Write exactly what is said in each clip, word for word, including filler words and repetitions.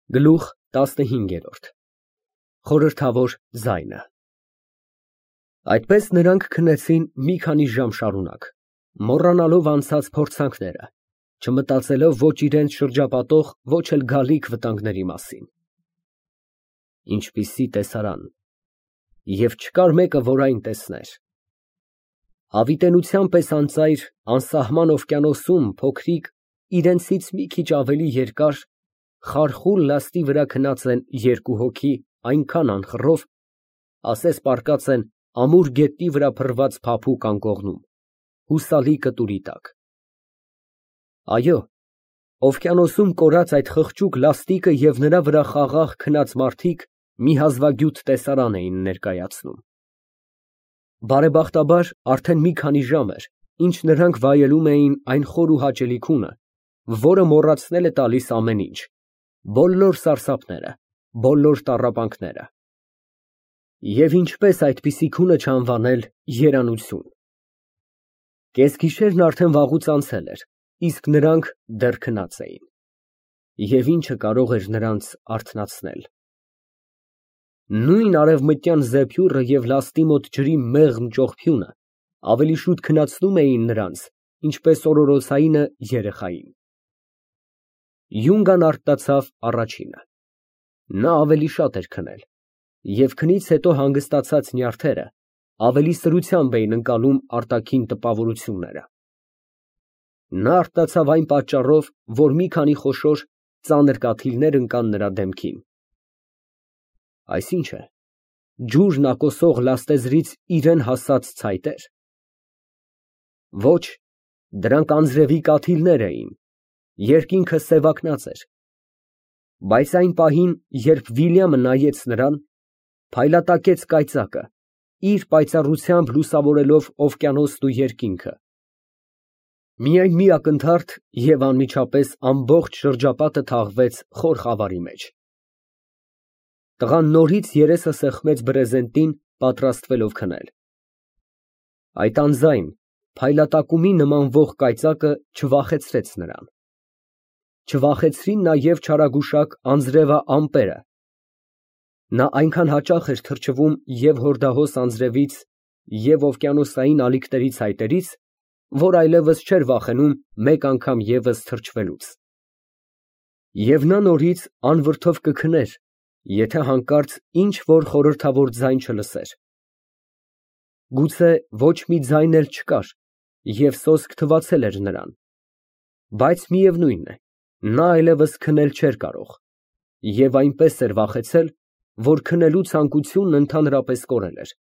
Գլուխ տասնհինգ։ Խորհրդավոր ձայնը Այդպես նրանք քնեցին մի քանի ժամ շարունակ, մոռանալով անցած փորձանքները, չմտածելով ոչ իրենց շրջապատող, ոչ էլ գալիք վտանգների մասին։ Ինչպիսի տեսարան, և չկար մեկը, որ այն տեսներ։ Հավիտենության պես անծայր, անսահման օվկիանոսում փոքրիկ, իրենցից մի քիչ ավելի երկար, խարխուլ լաստի վրա քնած են երկու հոգի այնքան անխռով, ասես պառկած են ամուր գետնի վրա փռված փափուկ անկողնում, հուսալի կտուրի տակ։ Այո, օվկիանոսում կորած այդ խղճուկ լաստիկը և նրա վրա խաղաղ քնած մարդիկ մի հազվագյուտ տեսարան էին ներկայացնում։ Բարեբախտաբար, արդեն մի քանի ժամ էր, ինչ նրանք վայելում էին այն խոր ու հաճելի քունը, որը մոռացնել է տալիս ամեն ինչ, բոլոր սարսափները, բոլոր տառապանքները։ Եվ ինչպես այդպիսի քունը չանվանել երանություն։ Կեսգիշերն արդեն վաղուց անցել էր, իսկ նրանք դեռ քնած էին։ Եվ ի՞նչը կարող էր նրանց արթնացնել։ Նույն արևմտյան զեփյուռը և լաստի մոտ ջրի մեղմ ճողփյունը ավելի շուտ քնացնում էին նրանց, ինչպես օրորոցայինը երեխային։ Յունգան արթնացավ առաջինը։ Նա ավելի շատ էր քնել, և քնից հետո հանգստացած նյարդերը ավելի սրությամբ էին ընկալում արտաքին տպավորությունները։ Նա արթնացավ այն պատճառով, որ մի քանի խոշոր, ծանր կաթիլներ ընկան նրա դեմքին։ Այս ի՞նչ է, ջուր ակոսող լաստեզրից իրան հասած ցայտե՞ր։ Ոչ, դրանք անձրևի կաթիլներ էին, երկինքը սևակնած էր։ Բայց այն պահին, երբ Վիլյամը նայեց նրան, փայլատակեց կայծակը, իր պայծառությամբ լուսավորելով օվկիանոսն ու երկինքը։ Միայն մի ակնթարթ, և անմիջապես ամբողջ շրջապատը թաղվեց խոր խավարի մեջ։ Տղան նորից երեսը սեղմեց բրեզենտին, պատրաստվելով քնել։ Այդ անձայն, փայլատակումի նմանվող կայծակը չվախեցրեց նրան։ Չվախեցրին նաև չարագուշակ անձրևամպերը։ Նա այնքան հաճախ էր թրջվում և հորդահոս անձրևից, և օվկիանոսային ալիքների ցայտերից, որ այլևս չէր վախենում մեկ անգամ ևս թրջվելուց։ Եվ նա նորից անվրդով կքներ, եթե հանկարծ ինչ֊որ խորհրդավոր ձայն չլսեր։ Գուցե ոչ մի ձայն էլ չկար, և սոսկ թվացել էր նրան, բայց միևնույն է, նա այլևս քնել չէր կարող, և այնպես էր վախեցել, որ քնելու ցանկությունն ընդհանրապես կորել էր։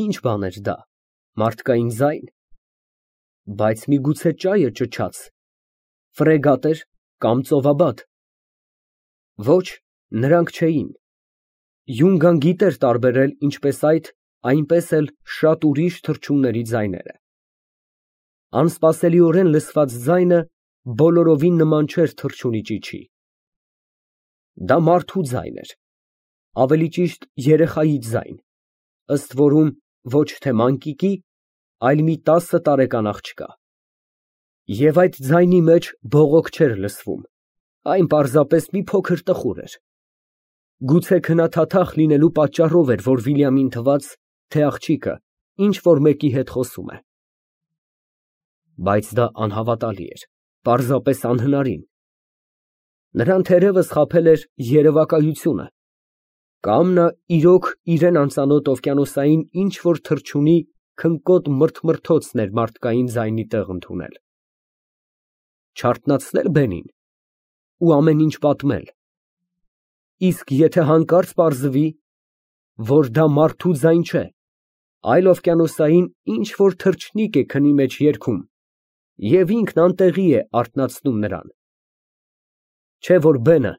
Ի՞նչ բան էր դա, մարդկային ձա՞յն։ Բայց միգուցե ճա՞յը ճչաց, ֆրեգատ էր կամ ծովաբադ։ Ոչ, նրանք չէին։ Յունգան գիտեր տարբերել ինչպես այդ, այնպես էլ շատ ուրիշ թռչունների ձայները։ Անսպասելիորեն լսված ձայնը բոլորովին նման չէր թռչունի ճիչի։ Դա մարդու ձայն էր, ավելի ճիշտ երեխայի ձայն, ըստ որում ոչ թե մանկիկի, այլ մի տասը տարեկան աղջկա։ Եվ այդ ձայնի մեջ բողոք չէր լսվում, այն պարզապես մի փոքր տխուր էր։ Գուցե քնաթաթախ լինելու պատճառով էր, որ Վիլյամին թվաց, թե աղջիկը ինչ֊որ մեկի հետ խոսում է։ Բայց դա անհավատալի էր, պարզապես անհնարին։ Նրան թերևս խաբել էր երևակայությունը, կամ նա իրոք իրան անծանոթ օվկիանոսային ինչ֊որ թռչունի քնկոտ մրթմրթոցն էր մարդկային ձայնի տեղ ընդունել։ Չարթնացնել բենին ու ամեն ինչ պատմել։ Իսկ եթե հանկարծ պարզվի, որ դա մարդու ձայն չէ, այլ օվկիանոսային ինչ֊որ թռչնիկ է քնի մեջ երգում, և ինքն անտեղի է արթնացնում նրան։ Չէ՞ որ բենը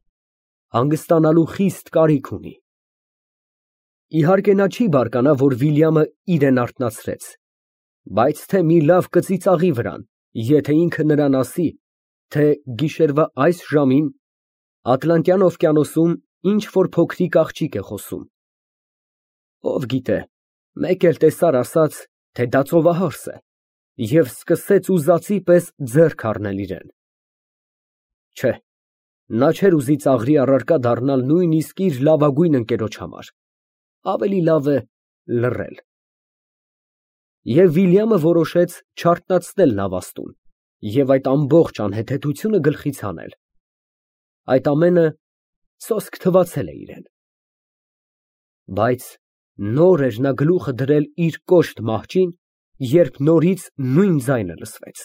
հանգստանալու խիստ կարիք ունի։ Իհարկե նա չի բարկանա, որ Վիլյամը իրան արթնացրեց, բայց թե մի լավ կծիծաղի վրան, եթե ինքը նրան ասի, թե գիշերվա այս ժամին Ատլանտյան օվկիանոսում ինչ֊որ փոքրիկ աղջիկ է խոսում։ Ով գիտե, մեկ էլ տեսար ասաց, թե դա ծովահարս է, և սկսեց ուզածի պես ձեռք առնել իրան։ Չէ, Նա չէր ուզի ծաղրի առարկա դառնալ նույնիսկ իր լավագույն ընկերոջ համար, ավելի լավ է լռել։ Եվ Վիլյամը որոշեց չարթնացնել լավաստուն և այդ ամբողջ անհեթեթությունը գլխից հանել։ Այդ ամենը սոսկ թվացել է իրան։ Բայց նոր էր նա գլուխը դրել իր կոշտ մահճին, երբ նորից նույն ձայնը լսվեց։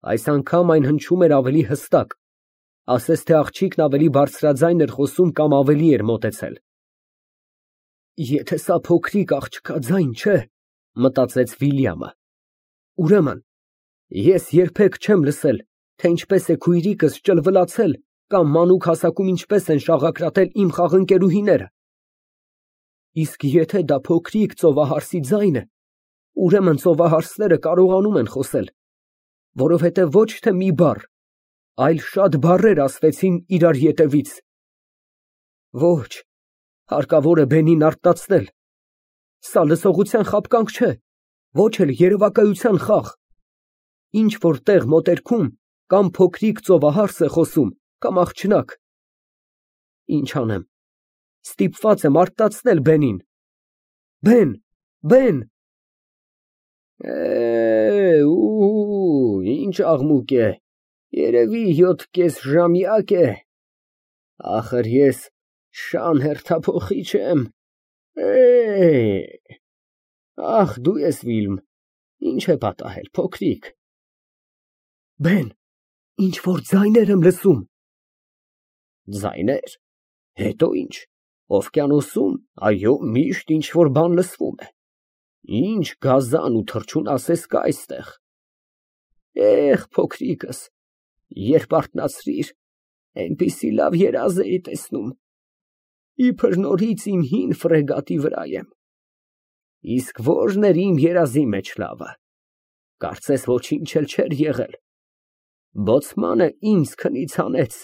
Այս անգամ այն հնչում էր ավելի հստակ, ասես թե աղջիկն ավելի բարձրաձայն էր խոսում կամ ավելի էր մոտեցել։ Եթե սա փոքրիկ աղջկա ձայն չէ, մտածեց Վիլյամը, ուրեմն ես երբեք չեմ լսել, թե ինչպես է քույրիկս ճլվլացել կամ մանուկ հասակում ինչպես են շաղակրատել իմ խաղընկերուհիները։ Իսկ եթե դա փոքրիկ ծովահարսի ձայն է, ուրեմն ծովահարսները կարողանում են խոսել, որովհետև ոչ թե մի բառ, այլ շատ բառեր ասվեցին իրար ետևից։ Ոչ, հարկավոր է բենին արթնացնել։ Սա լսողության խաբկանք չէ, ոչ էլ երևակայության խաղ։ Ինչ որ տեղ մոտերքում կամ փոքրիկ ծովահարս է խոսում, կամ աղջնակ։ Ինչ անեմ, ստիպված եմ արթնացնել բենին։ Բեն, բեն։ Է, ու, ինչ աղմուկ է, երևի յոթ կեսժամյակ է, ախր ես շան հերթափոխի չեմ, է, ախ դու ես Վիլմ, ինչ է պատահել, փոքրիկ։ Բեն, ինչ որ ձայներ եմ լսում։ Ձայներ, հետո ինչ, օվկիանոսում, այո, միշտ ինչ որ բան լսվում է, ինչ գազան ու թռչուն ասես կա այստեղ։ Էխ, փոքրիկս, երբ արթնացրիր, այնպիսի լավ երազ էի տեսնում, իբր նորից իմ հին ֆրեգատի վրա եմ։ Իսկ ո՞րն էր իմ երազի մեջ լավը, կարծես ոչինչ էլ չէր եղել։ Բոցմանը ինձ քնից հանեց,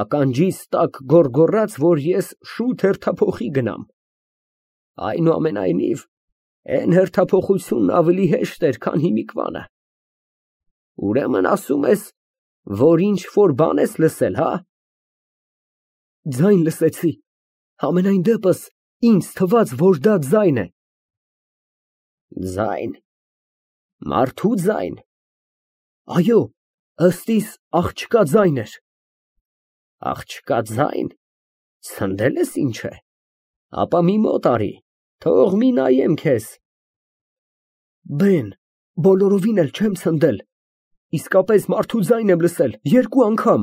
ականջիս տակ գոռգոռաց, որ ես շուտ հերթափոխի գնամ։ Այնուամենայնիվ, էն հերթափոխությունն ավելի հեշտ էր, քան հիմիկվանը։ Ուրեմն ասում ես, որ ինչ որ բան ես լսել, հա։ Ձայն լսեցի, համենայն դեպս ինձ թվաց, որ դա ձայն է։ Ձայն, մարդու ձայն։ Այո, ըստ իս աղջկա ձայն էր։ Աղջկա ձայն, ցնդել ես ինչ է, ապա մի մոտ արի, թող մի նայեմ քեզ։ Բեն, բոլորովին էլ չեմ ցնդել, իսկապես մարդու ձայն եմ լսել, երկու անգամ։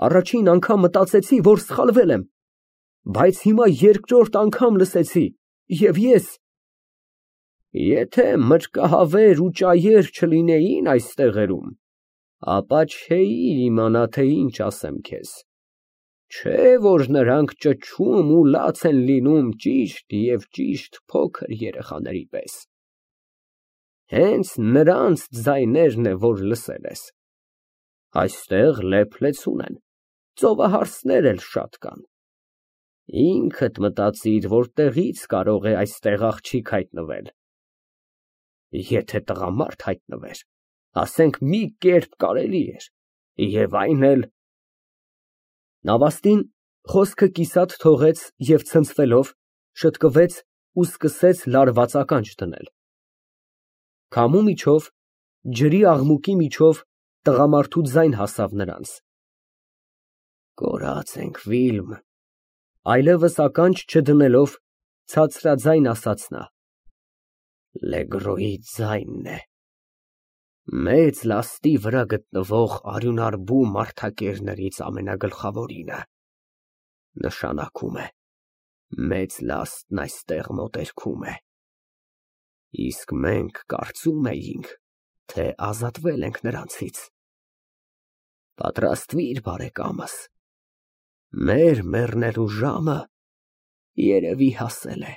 Առաջին անգամ մտածեցի, որ սխալվել եմ, բայց հիմա երկրորդ անգամ լսեցի, և ես… Եթե մրրկահավեր ու ճայեր չլինեին այս տեղերում, ապա չէի իմանա, թե ինչ ասեմ քեզ, չէ որ նրանք ճչում ու լաց են լինում ճիշտ և ճիշտ փոքր երեխաների պես։ Հենց նրանց ձայներն է, որ լսել ես։ Այստեղ լեփ-լեցուն են, ծովահարսներ էլ շատ կան։ Ինքդ մտածիր, որ տեղից կարող է այստեղ աղջիկ հայտնվել։ Եթե տղամարդ հայտնվեր, ասենք մի կերպ կարելի էր, և այն էլ… Նավաստին խոսքը կիսատ թողեց և ցնցվելով, շտկվեց ու սկսեց լարված ականջ դնել։ Քամու միջով, ջրի աղմուկի միջով տղամարդու ձայն հասավ նրանց։ Կորած ենք, Վիլմ, այլևս ականջ չդնելով, ցածրաձայն ասաց նա։ Լեգրոյի ձայնն է, մեծ լաստի վրա գտնվող արյունարբու մարդակերներից ամենագլխավորինը, նշանակում է մեծ լաստն այստեղ մոտերքում է, իսկ մենք կարծում էինք, թե ազատվել ենք նրանցից։ Պատրաստվիր, բարեկամս, մեր մեռնելու ժամը երևի հասել է։